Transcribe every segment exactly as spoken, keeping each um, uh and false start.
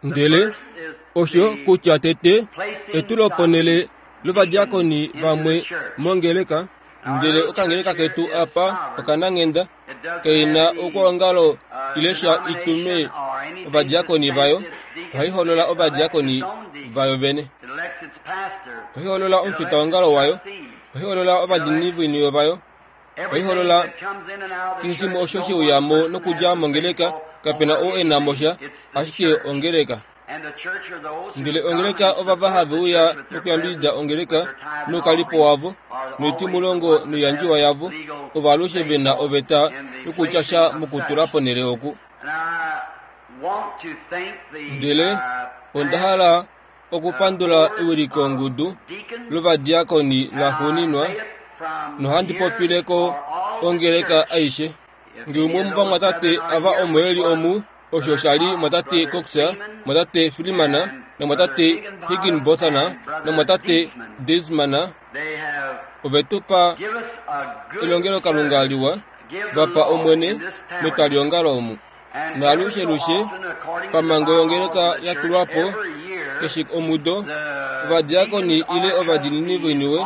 Ndele osho kutya tete etuloponhele lovadiakoni vamwe mongeleka, ndele okangeleka ketu apa okananghenda kaina okwoongalo ile sha itume ovadiakoni vayo, ohai holola ovadiakoni vayo vene. Ohai holola omufitaongalo wayo, ohai holola ovadiinini voiniwe vayo, ohai holola keshe shimwe osho she uya mo nokudja mongeleka, kapena oo e na mo sha, ashike ongeleka. Ndele ongeleka ovava have uya nokuyambidida ongeleka noukalipo wavo, noitimulongo noiyandjiwa yavo, ovo alushe ve na oveta yokutya sha mokutula ponhele oku. Ndele onda hala okupandula ewilikongudu lovadiakoni laxuuninwa, nohandi popile ko ongeleka aishe. Nge umwe womovamwatate ava omo e li omu, osho sha li mwatate Cox, mwatate Freeman, namwatate Higginbotham, namwatate Deitzman, ove tu pa elongelokalunga liwa, va pa Omwene metwaliongalo omu. Naalushelushe, pamhango yongeleka ya tulwa po, keshe omudo, ovadiakoni ile ovadiinini voiniwe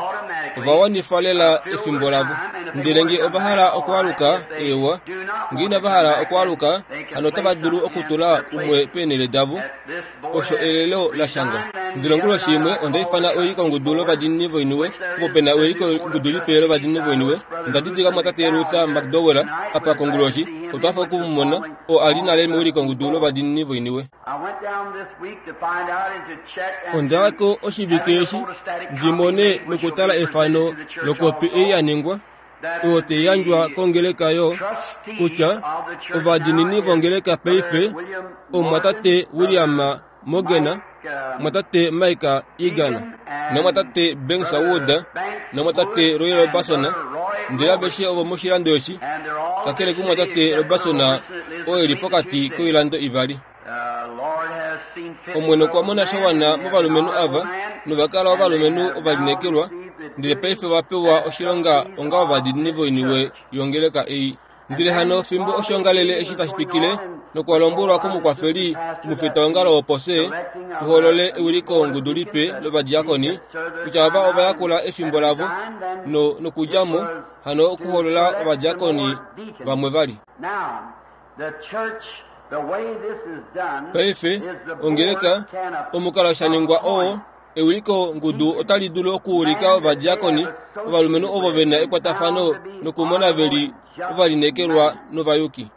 ova wanifa lela efimbo lavo. Ndele nge ova hala okwaaluka, eewa, nge inava hala okwaaluka, hano otava dulu okutula umwe peenhele davo, osho elelo la shangwa. Ndele onguloshi imwe onda ifana ewilikongudu lovadiinini voiniwe, opo pe na ewilikongudu lipe lovadiinini voiniwe. Onda didilika mwatate Luther McDowell apa konguloshi, otwa hafa oku mu mona, oo a li nale mewilikongudu lovadiinini voiniwe. Onda ya ko oshivike eshi ndi mone nokutala efano lokopi ei ya ningwa, oyo tai yandjwa kongeleka yo kutya ovadiinini vongeleka paife omumwatate William Morgan, mwatate Mike Egan, namwatate Banks Wood, namwatate Roy Robertson, ndele aveshe ovo moshilando eshi, kakele kumwatate Robertson oo e li pokati koilando ivali. Omwene okwa mona sha wana movalumenhu ava, nova kala ovalumenhu ovalineekelwa, ndele paife ova pewa oshilonga onga ovadiinini voiniwe yongeleka ei. Ndele hano fimbo oshoongalele eshi tashi twikile, nokwa lombwelwa komukwafeli omufitaongalo wopose tu holole ewilikongudu lipe lovadiakoni, kutya ava ova yakula efimbo lavo no, nokudja mo, hano okuholola ovadiakoni vamwe vali. Paife, ongeleka, omukalo sha ningwa oo, ewilikongudu otali dulu okuulika ovadiakoni, ovalumenhu ovo ve na ekwatafano nokumona ve li ovalineekelwa novayuki.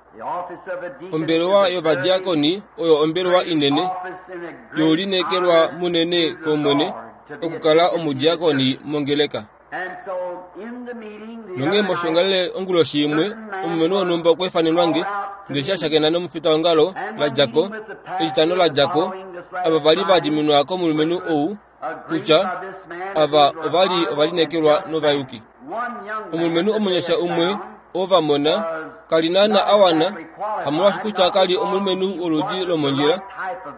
Ombelewa yovadiakoni oyo ombelewa inene youlineekelwa munene kOmwene okukala omudiakoni mongeleka. Nonghee moshoongalele onguloshi imwe, omulumenhu wonhumba okwa ifanenwa nge, ndele eshi a shakena nomufitaongalo la dja ko, Etitano la dja ko, ava va li va diminwa komulumenhu ou kutya ava ova li ovalineekelwa novayuki. Omulumenhu omunyasha umwe oo va mona, ka li naana a wana, hamolwaashi kutya ka li omulumenhu woludi lomondjila,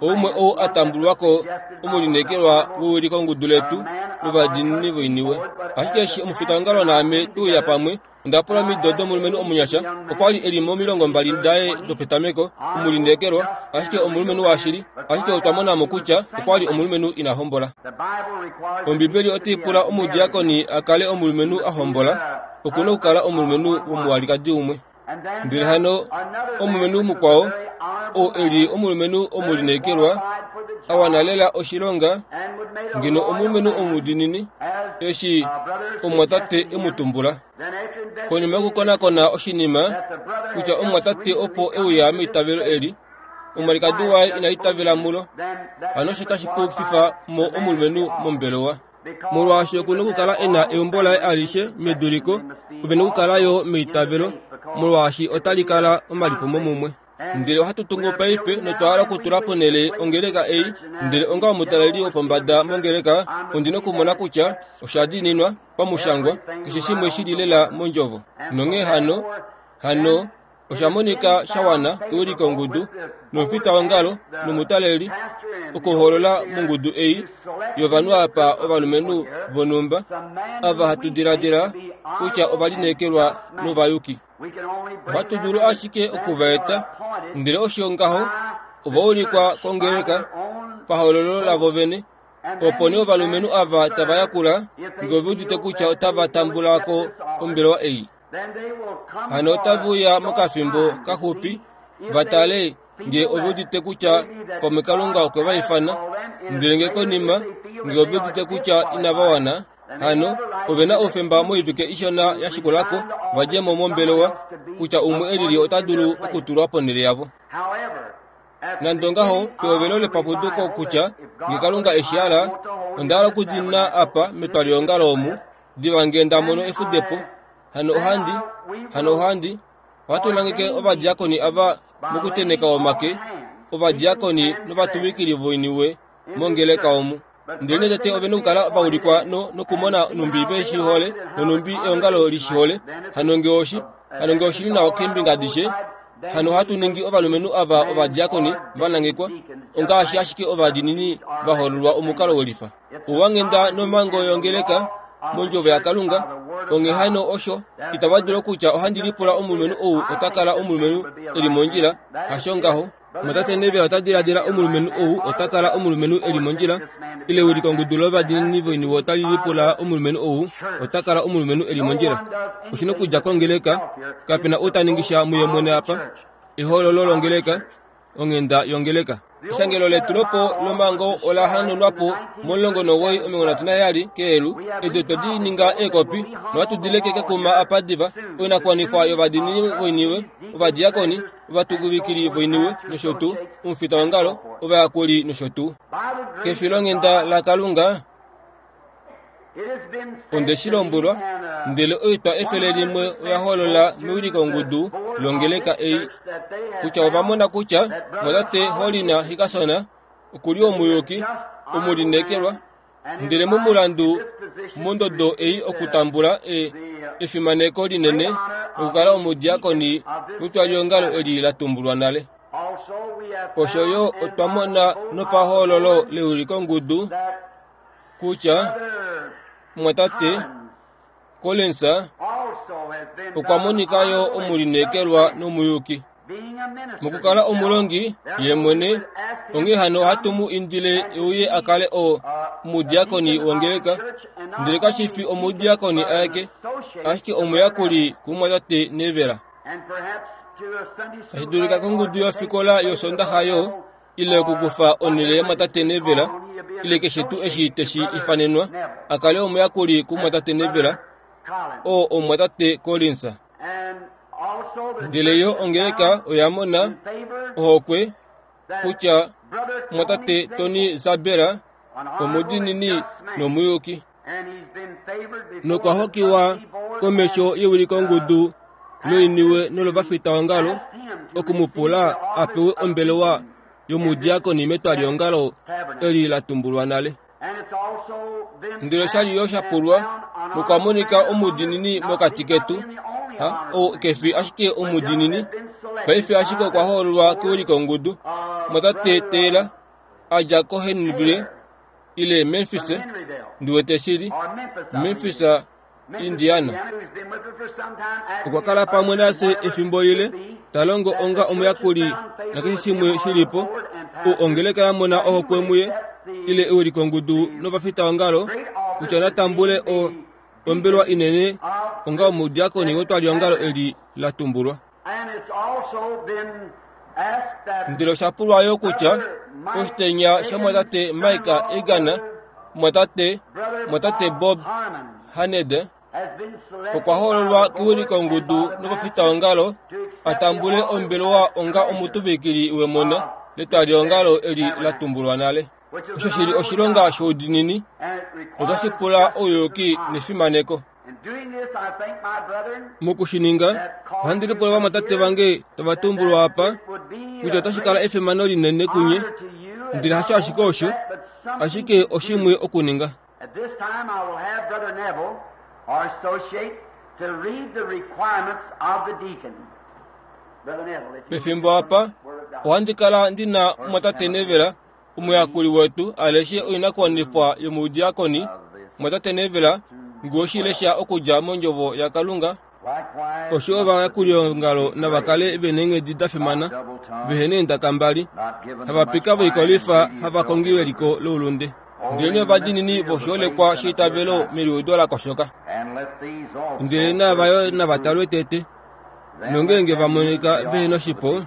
oumwe ou a tambulwa ko omulineekelwa wewilikongudu letu lovadiinini voiniwe. Ashike eshi omufitaongalo naame twe uya pamwe, onda pula omido domulumenhu omunyasha, okwa li e li momilongo mbali daye dopetameko, omulineekelwa, ashike omulumenhu washili, ashike otwa mona mo kutya okwa li omulumenhu ina hombola. Ombibeli otai pula omudiakoni a kale omulumenhu a hombola, oku na okukala omulumenhu womuwalikadi umwe. Ndele hano omulumenhu mukwao, oo e li omulumenhu omulineekelwa, a wana lela oshilonga, ngeno omulumenhu omudiinini, eshi omumwatate e mu tumbula. Konima yokukonakona oshinima, kutya omumwatate opo e uya meitavelo eli, omwalikadi waye ina itavela mulo, hano osho tashi kufifa mo omulumenhu mombelewa. Molwaashi oku na okukala e na eumbo laye alishe meduliko, ove na okukala yo meitavelo, molwaashi otali kala omalipumo mumwe. Ndele ohatu tungu paife notwa hala okutula ponhele ongeleka ei, ndele onga omutaleli wopombada mongeleka, ondi na okumona kutya osha diininwa pamushangwa, keshe shimwe shi li lela mondjovo. Nonghee hano, hano osha monika sha wana kewilikongudu nomufitaongalo nomutaleli okuholola mongudu ei yovanhu apa ovalumenhu vonhumba ava hatu diladila kutya ovalineekelwa novayuki. Ohatu dulu ashike okuva eta, ndele osho ngaho Ova ulikwa kongeleka pahoololo lavo vene. Opo nee ovalumenhu ava tava yakula ngee ove udite kutya otava tambula ko ombelewa ei. Hano otave uya mokafimbo kaxupi va tale ngee ove udite kutya pamwe Kalunga okwe va ifana, ndele ngee konima ngee ove udite kutya inava wana, hano ove na oufemba moivike ishona ya shikulako va dje mo mombelewa kutya umwe elili ota dulu okutulwa ponhele yavo. Nande ongaho, pehovelo lepapuduko kutya ngee Kalunga eshi hala, onda hala okudina apa metwaliongalo omu diva ngee nda mono efudepo. Hano ohandi, hano ohandi, ohatu nangeke ovadiakoni ava mokuteneka omake, ovadiakoni novatuvikili voiniwe mongeleka omu. Ndele nee tete ove na okukala va ulikwa no, nokumona numbi ve shi hole nonumbi eongalo li shi hole. Hano ngee oshi, hano ngee oshili nawa keembinga adishe, hano ohatu ningi ovalumenhu ava ovadiakoni va nangekwa, ongaashi ashike ovadiinini va hoololwa omukalo welifa. Ouwanghenda nomhango yongeleka mondjovo yaKalunga, onghee hano osho itava dulu okutya ohandi lipula omulumenhu ou ota kala omulumenhu e li mondjila, hasho ngaho. Mwatate Neville ota diladila omulumenhu ou ota kala omulumenhu e li mondjila, ile ewilikongudu lovadiinini voiniwe otali lipula omulumenhu ou ota kala omulumenhu e li mondjila. Oshi na okudja kongeleka, kapena ou ta ningi sha muye mwene apa. Ehoololo longeleka, onghenda yongeleka. Eshangelo letulopo lomhango ola hanaunwa po momulongo nomuwoi omilongo nhatu naheyali keelu. Edi otwe di ninga eekopi nohatu di leke kekuma apa diva. Oinakuwanifwa yovadiinini voiniwe, ovadiakoni, ovatuvikili voiniwe nosho tuu, omufitaongalo, ovayakuli nosho tuu. Kefilonghenda laKalunga onde shi lombwelwa, ndele oitwa efele limwe oya holola mewilikongudu longeleka ei kutya ova mona kutya mwatate Hollin Hickerson okuli omuyuki omulineekelwa, ndele momulandu mondodo ei okutambula e, efimaneko linene okukala omudiakoni wetwaliongalo eli la tumbulwa nale. Osho yo otwa mona nopahoololo lewilikongudu kutya mwatate Collins okwa monika yo omulineekelwa nomuyuki. Mokukala omulongi ye mwene, onghee hano ohatu mu indile euye a kale o omudiakoni wongeleka, ndele kashi fi omudiakoni aeke, ashike omuyakuli kumwatate Neville. Tashi dulika kongudu yofikola yosondaxa yo, ile okukufa onhele yamwatate Neville, ile keshe tuu eshi teshi ifanenwa, a kale omuyakuli kumwatate Neville, oo omwatate Collins. Ndele yo ongeleka oya mona ohokwe kutya mwatate Tony Zabera omudiinini nomuyuki, nokwa hokiwa komesho yewilikongudu loiniwe nolovafitaongalo oku mu pula a pewe ombelewa yomudiakoni metwaliongalo eli la tumbulwa nale. Ndele oshali yo sha pulwa nokwa monika omudiinini mokati ketu, ha ou kefi ashike omudiinini, paife ashike okwa hoololwa kewilikongudu. Mwatate Taylor a dja koHenryville ile Memphis, ndi wete shili Memphis, Indiana. Okwa kala pamwe nafye efimbo lile, ta longo onga omuyakuli nakeshe shimwe shilipo. Ou ongeleka ya mona ohokwe muye ile ewilikongudu novafitaongalo kutya natambule o ombelewa inene onga omudiakoni wetwaliongalo eli la tumbulwa. Ndele osha pulwa yo kutya oshitenya shamwatate Mike Egan, mwatate mwatate Bob Haned okwa hoololwa kewilikongudu novafitaongalo a tambule ombelewa onga omutuvikili wemona letwaliongalo eli la tumbulwa nale. Osho shili oshilonga shoudiinini notashi pula ouyuki nefimaneko. Mokushininga, ohandi lipula vamwatate vange tava tumbulwa apa kutya otashi kala efimano linene kunye, ndele hasho ashike osho, ashike oshimwe okuninga. At this time, I will have Brother Neville, our associate, to read the requirements of the deacon. Brother Neville, if you Pefimbo apa ohandi kala ndina mwatate Neville, omuyakuli wetu, a leshe oinakuwanifwa yomudiakoni. Mwatate Neville, ngee oshilesha okudja mondjovo yaKalunga. Osho ovayakuliongalo nava kale ve neenghedi da fimana, vehe neendaka mbali, havapika voikolifa, havakongi veliko loulunde, ndelenee ovadiinini voshiholekwa sheitavelo meliudo la koshoka. Ndele naava yo nava talwe tete, nongeenge va monika vehe noshipo,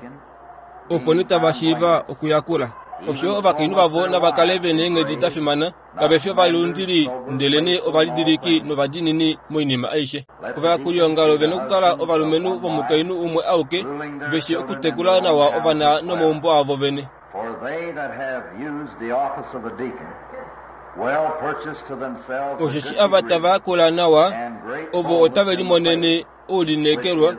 opo nee tava shiiva okuyakula. Osho ovakainhu vavo nava kale ve neenghedi da fimana, kave fi ovalundili ndelenee ovalidiliki novadiinini moinima aishe. Ovayakuliongalo ve nokukala ovalumenhu vomukainhu umwe auke, ve shii okutekula nawa ovana nomaumbo avo vene. Osheshi ava tava yakula nawa, ovo otave limonene oulineekelwa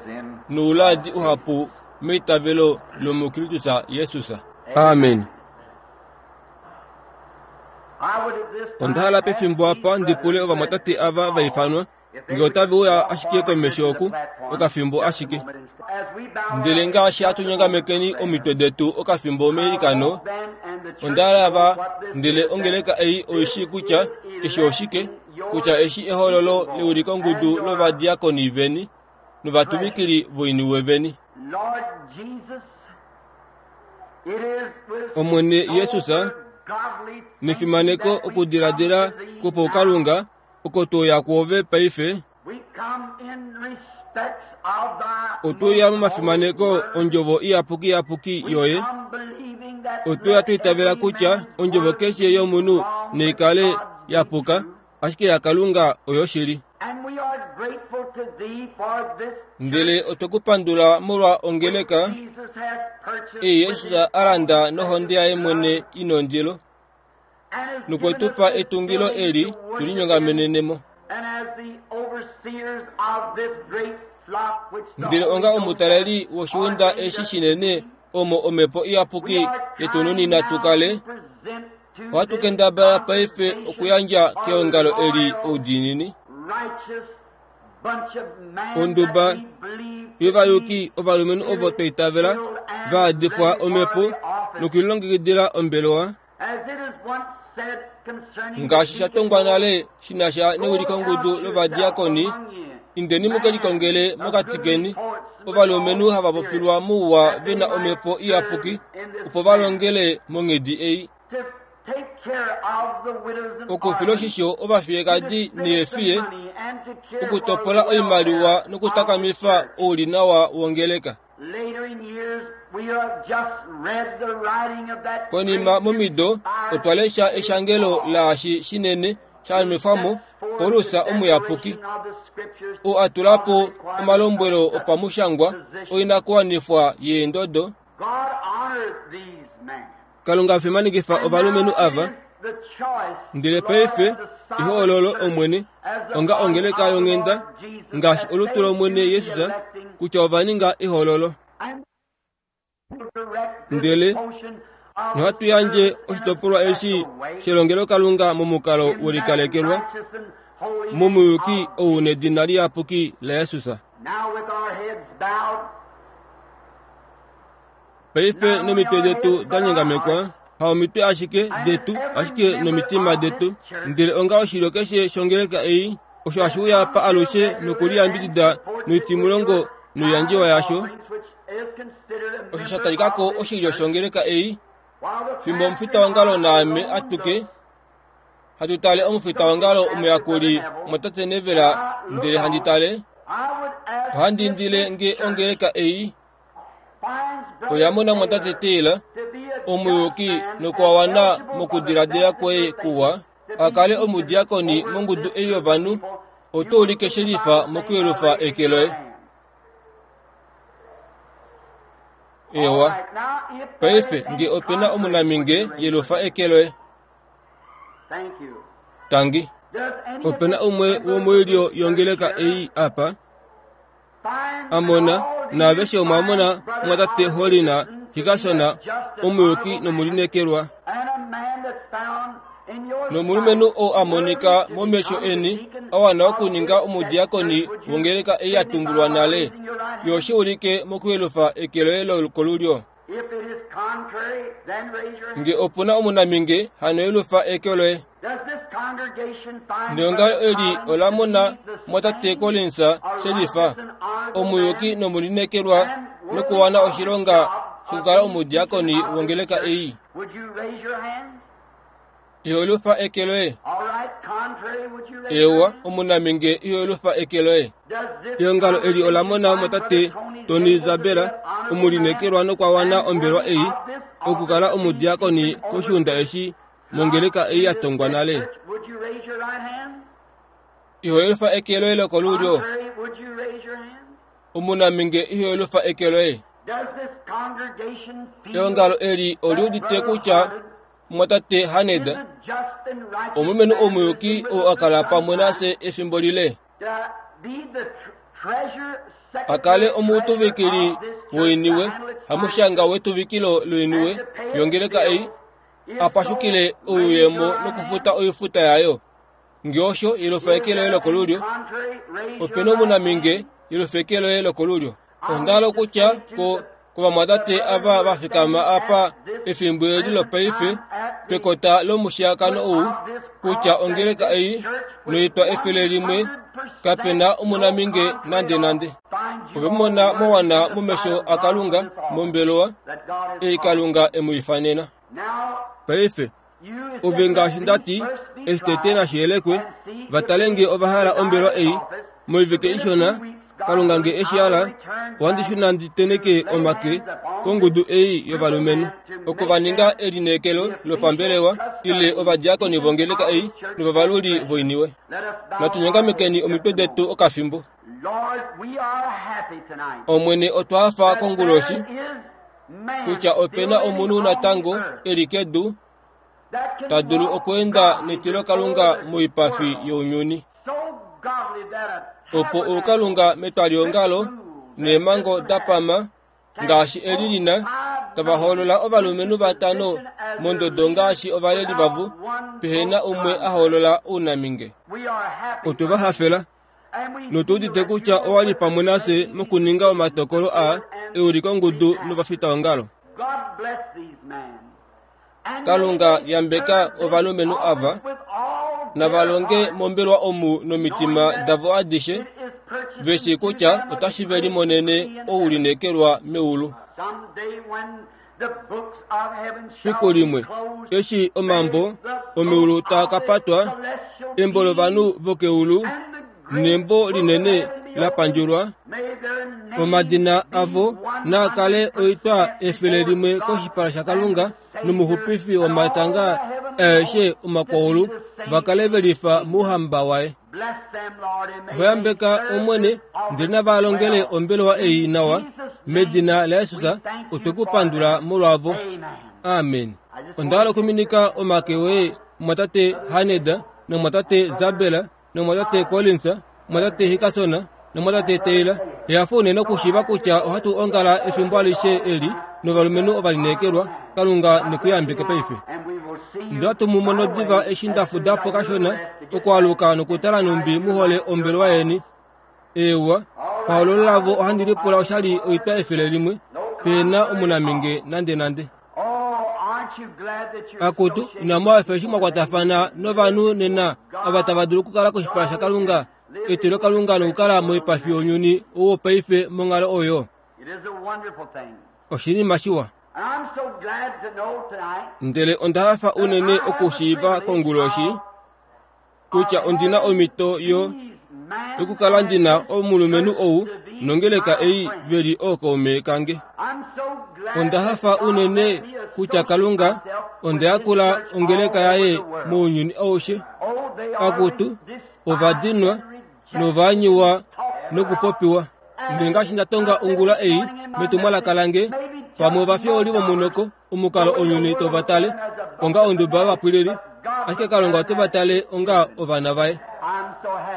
nouladi uhapu meitavelo lomuKristus Jesus. Amen. Onda hala pefimbo apa ndi pule ovamwatate ava va ifanwa ngee otave uya ashike komesho oku okafimbo ashike. Ndele ngaashi hatu nyongamekeni omitwe detu okafimbo meilikano, onda hala va ndele ongeleka ei oi shii kutya eshi oshike, kutya eshi ehololo leulikongudu lovadiakoni veni novatuvikili voiniwe veni. Omwene Jesus, nefimaneko okudiladila kwopaukalunga oko tweuya kwoove paife, otweuya momafimaneko ondjovo iyapuki yapuki yoye, otweuya twaitavela kutya ondjovo keshe yomunhu naikale yapuka, ashike yaKalunga oyoshili. Ndele otwe ku pandula molwa ongeleka ei Jesus a landa nohonde yaye mwene i nondilo, nokwe tu pa etungilo eli tu linyongamenenemo. Ndele onga omutaleli woshiunda eshi shinene omo omhepo iyapuki yetu nunina tu kale, ohatu kendabala paife okuyandja keongalo eli oudiinini. Onduba yovayuki ovalumenhu ovo twa itavela va yadifwa omhepo nokulilongekidila ombelewa, ngaashi sha tongwa nale shi na sha neulikongudu lovadiakoni, indeni mu ke likongele mokati keni ovalumenhu hava popilwa mouwa ve na omhepo iyapuki, opo va longele monghedi ei. Okufila oshisho ovafiyekadi neefiye, okutopola oimaliwa nokutakamifa oulinawa wongeleka. Konima momido, otwa lesha eshangelo laashi shinene sha nwefwamo Paulus omuyapuki, oo a tula po omalombwelo opamushangwa oinakuwanifwa yeendodo. Kalunga afimanekifa ovalumenhu ava, ndele paife ehoololo Omwene onga ongeleka yonghenda ngaashi olutu lOmwene Jesus, kutya ova ninga ehoololo. Ndele nohatu yandje oshitopolwa eshi shelongelokalunga momukalo welikalekelwa momuyuki ou nedina liyapuki laJesus. Paife nomitwe detu da nyongamekwa, haomitwe ashike detu, ashike nomitima detu, ndele onga oshilyo keshe shongeleka ei, osho hashi uya pa alushe nokuliyambidida noitimulongo noiyandjiwa yasho, osho sha talikako oshilyo shongeleka ei, fimbo omufitaongalo naame atuke hatu tale omufitaongalo omuyakuli mwatate Neville, ndele handi tale, ohandi indile nge ongeleka ei oya mona mwatate Taylor omuyuki nokwawana mokudiladila kwoye kuwa, a kale omudiakoni mongudu ei yovanhu, oto ulike shelifa mokuyelufa eke loye. Ewa, paife nge ope na omunaminge, yelufa eke loye. Tangi. Ope na umwe womoilyo yongeleka ei apa a mona, naaveshe omwa mona mwatate Holina Hikasona omuyuki nomulineekelwa, nomulumenhu oo a monika momesho eni a wana okuninga omudiakoni wongeleka ei ya tumbulwa nale, yo shi ulike mokuyelufa eke loye lokolulyo. Nge opuna omunaminge hano yelufa eke loye. Neongalo eli ola mona mwatate Collins shelifa omuyuki nomulineekelwa nokuwana oshilonga shokukala omudiakoni wongeleka ei. Iho eke loye. Ewa omunaminge iho eke loye. Eongalo eli ola mona mwatate Tony Zabela omulineekelwa nokwawana ombelwa ei okukala omudiakoni koshiunda eshi mongeleka ei ya tongwa nale. Iho eke loye lokolulyo. Omunaminge iho eke loye. Eongalo eli oliudite kutya mwatate Haneda omulumenhu omuyuki oo akala pamwe nafye efimbo lile akale omutuvikili woiniwe hamushanga wetuvikilo loiniwe yongeleka ei apashukile ouyemo nokufuta oifuta yayo. Ngeosho yelufa eke loye lokolulyo. Opena omunaminge yelufa eke loye lokolulyo. Ondalo kutya ko kovamwatate ava vafikama apa efimbo eli lopaife pekota lomushiakano ou kutya ongeleka ei noitwa efele limwe kapena omunaminge nande nande. Ove mona mowana momesho akalunga mombelowa ei kalunga emuifanena. Paife ove ngaashi ndati eshi tete nashiyelekwe vatalenge ovahala ombelwa ei moivike ishona kalunga nge eshiala ohandi ndi teneke omake kongudu ei yovalumenhu oko vaninga elineekelo lopambelewa ile ovadiakoni vongeleka ei novavaluli voiniwe. Natunyongamekeni omitwe detu okafimbo. Omwene otwafa konguloshi kutya opena omunhu natango eli kedu tadulu okweenda netilo kalunga moipafi younyuni. Opo oukalunga metwaliongalo neemhango dapama ngaashi eli lina tava hoolola ovalumenhu vatano mondodo ngaashi ovaleli vavo pehena umwe a hoolola ounaminge. Otwe va hafela notuudite kutya owali pamwe nafye mokuninga omatokolo a eulikongudu novafitaongalo. Kalunga yambeka ovalumenhu ava navalonge mombelwa omu nomitima davo adishe veshi kutya otashi ve limonene oulineekelwa meulu. Fiku limwe eshi omambo omeulu taa ka patwa embo lovanhu vokeulu nembo linene la pandjulwa omadina avo naakale oitwa efele limwe koshipala shakalunga nomuxupifi womatanga aeshe omakwaulu vakale velifa mouhamba waye. Vayambeka omwene ndele navalongele ombelewa ei nawa medina laYesus otwekupandula molwavo. Amen. Ondahala okuminika omake woye mwatate Haneda nomwatate Zabela nomwatate Collins mwatate Hikasona nomwatate Taylor. Ehafo unene okushiiva kutya ohatu ongala efimbo alishe eli novalumenhu ovalineekelwa. Kalunga nekuyambeke paife. Ndatu mumono diva eshi ndafudapo kashona okwaluka nokutala numbi muhole ombelewa yeni. Ewa pahololo lavo ohandi lipula oshali oitwa efele limwe pena omunaminge nande nande. Akutu inamu hafa eshi mwakwatafana novanhu nena ava tava dulu okukala koshipala shakalunga etilo kalunga nokukala moipafi younyuni ou paife monghalo oyo. Oshinima shiwa. Ndele onda hafa unene okushiiva konguloshi kutya ondina omhito yo yokukala ndina omulumenhu ou nongeleka ei veli ookaume kange. Onda hafa unene kutya kalunga onda yakula ongeleka yaye mounyuni aushe. Akutu ovadinwa novanyiwa nokupopiwa. Ndele ngaashi ndatonga ongula ei metumwalaka lange pamwe ovafyooli vomunoko omukalo onyuni tovatale onga onduba yovapwilili ashike kalunga otovatale onga ovana vaye.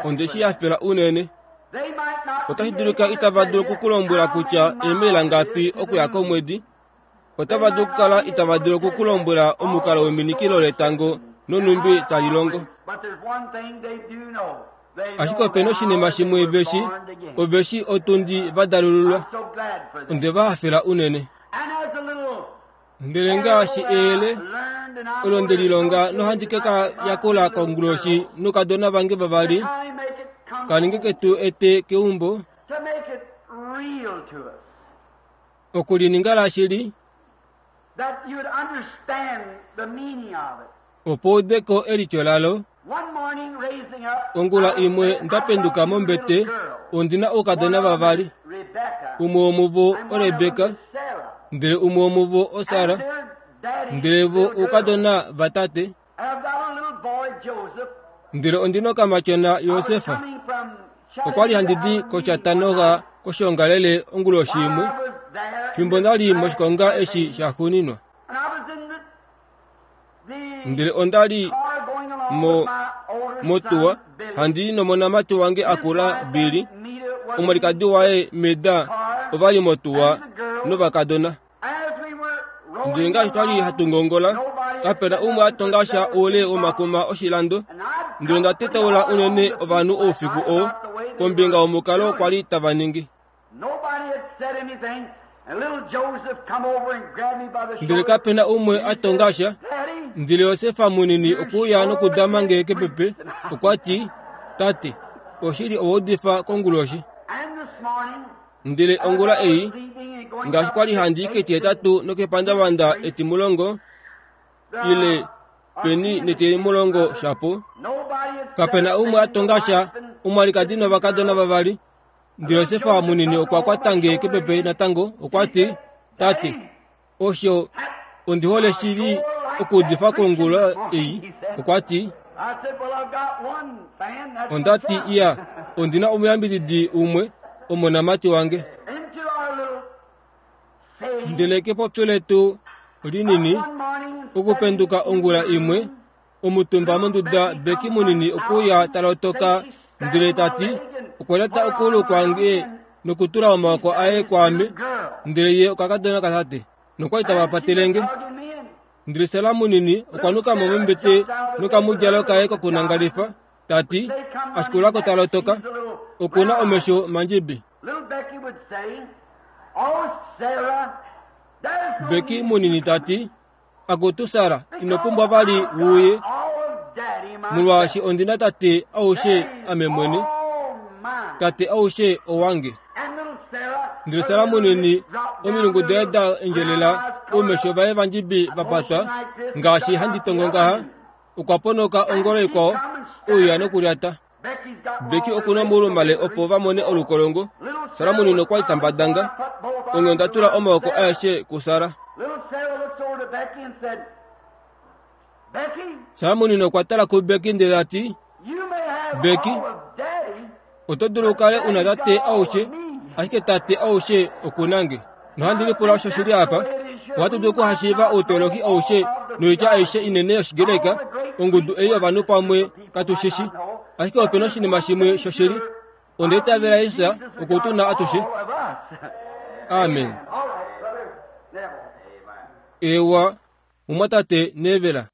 Onde shi hafela unene. Otashi dulika itava dulu okukulombwela kutya eemaila ngapi okuya komwedi. Otava dulu okukala itava dulu okukulombwela omukalo weminikilo letango nonumbi tali longo. Ashike opena oshinima shimwe veshi oveshi otundi vadalululwa. Onde va hafela unene. Ndele ngaashi eyele olo nde lilonga nohandi ke ka yakula konguloshi noukadona vange vavali, kaninge ketu ete keumbo, okulininga lashili, opo udeko elityo lalo. Ongula imwe ndapenduka mombete, ondina oukadona vavali, umwe womuvo oRebeka, ndele umwe womuvo oSara, ndele vo oukadona vatate. Ndele ondina okamatyona Josefa. Okwa li handi di koChattanooga koshoongalele onguloshi imwe, fimbo nda li moshikonga eshi shaxuuninwa. Ndele onda li mo motuwa handi nomonamati wange akula Billy, omwalikadi waye Meda ova li motuwa novakadona. Ndele ngaashi twali hatu ngongola, kapena umwe a tonga sha oule womakuma oshilando. Ndele onda tetaula unene ovanhu oufiku oo kombinga womukalo kwa li tava ningi. Ndele kapena umwe a tonga sha. Ndele Josefa munini okuya nokudama nge kepepe, okwa ti, Tate, oshili owa udifa konguloshi. Ndele ongula ei, ngaashi kwa li handi ketihetatu nokepandavanda etimulongo, ile peni netimulongo shapo, kapena umwe a tonga sha, omwalikadi novakadona vavali. Ndele Josefa munini okwa kwata nge kepepe natango, okwa ti, Tate, osho ondi hole shili okuudifa kongula ei. Okwa ti, onda ti, iya, ondina omuyambididi umwe, omonamati wange. Ndele kepopyo letu linini, okupenduka ongula imwe, omutumba monduda Beki munini okuya talotoka, ndele tati, okwa lyata okuulu kwange nokutula omaoko aye kwaame, ndele ye okakadona katate, nokwali tava patelenge. Ndele Sara munini okwa nuka mo mombete nokamudjalo kaye kokunangalifa, tati, ashikulako talotoka, okuna omesho mandjibi. Beki munini tati, akutu Sara, ino pumbwa vali wuuye, molwaashi ondina tate aushe ame mwene, tate aushe owange. Ndele Sara munini, omilungu daye da endjelela, oumesho vaye vandjibi va patwa, ngaashi handi tongo ngaha, okwa ponoka ongolo ikwao, ouya nokulyata. Beki okuna omaulumale opo va mone olukolongo. Sara munini okwa li tambadanga, onghee onda tula omaoko aeshe kuSara. Sara munini okwa tala kuBeki ndele ta ti, Beki, oto dulu ukale una tate aushe, ashike tate aushe okuna nge. Nohandi lipula osho shili apa. Ohatu dulu okuhashiiva outoloki aushe noitya aishe inene yOshigreka, ongudu ei yovanhu pamwe katu shishi. Ashike opena oshinima shimwe shoshili. Onda itavela Jesus oku tu na atushe. Amen. Ewa, mumwatate Nevela.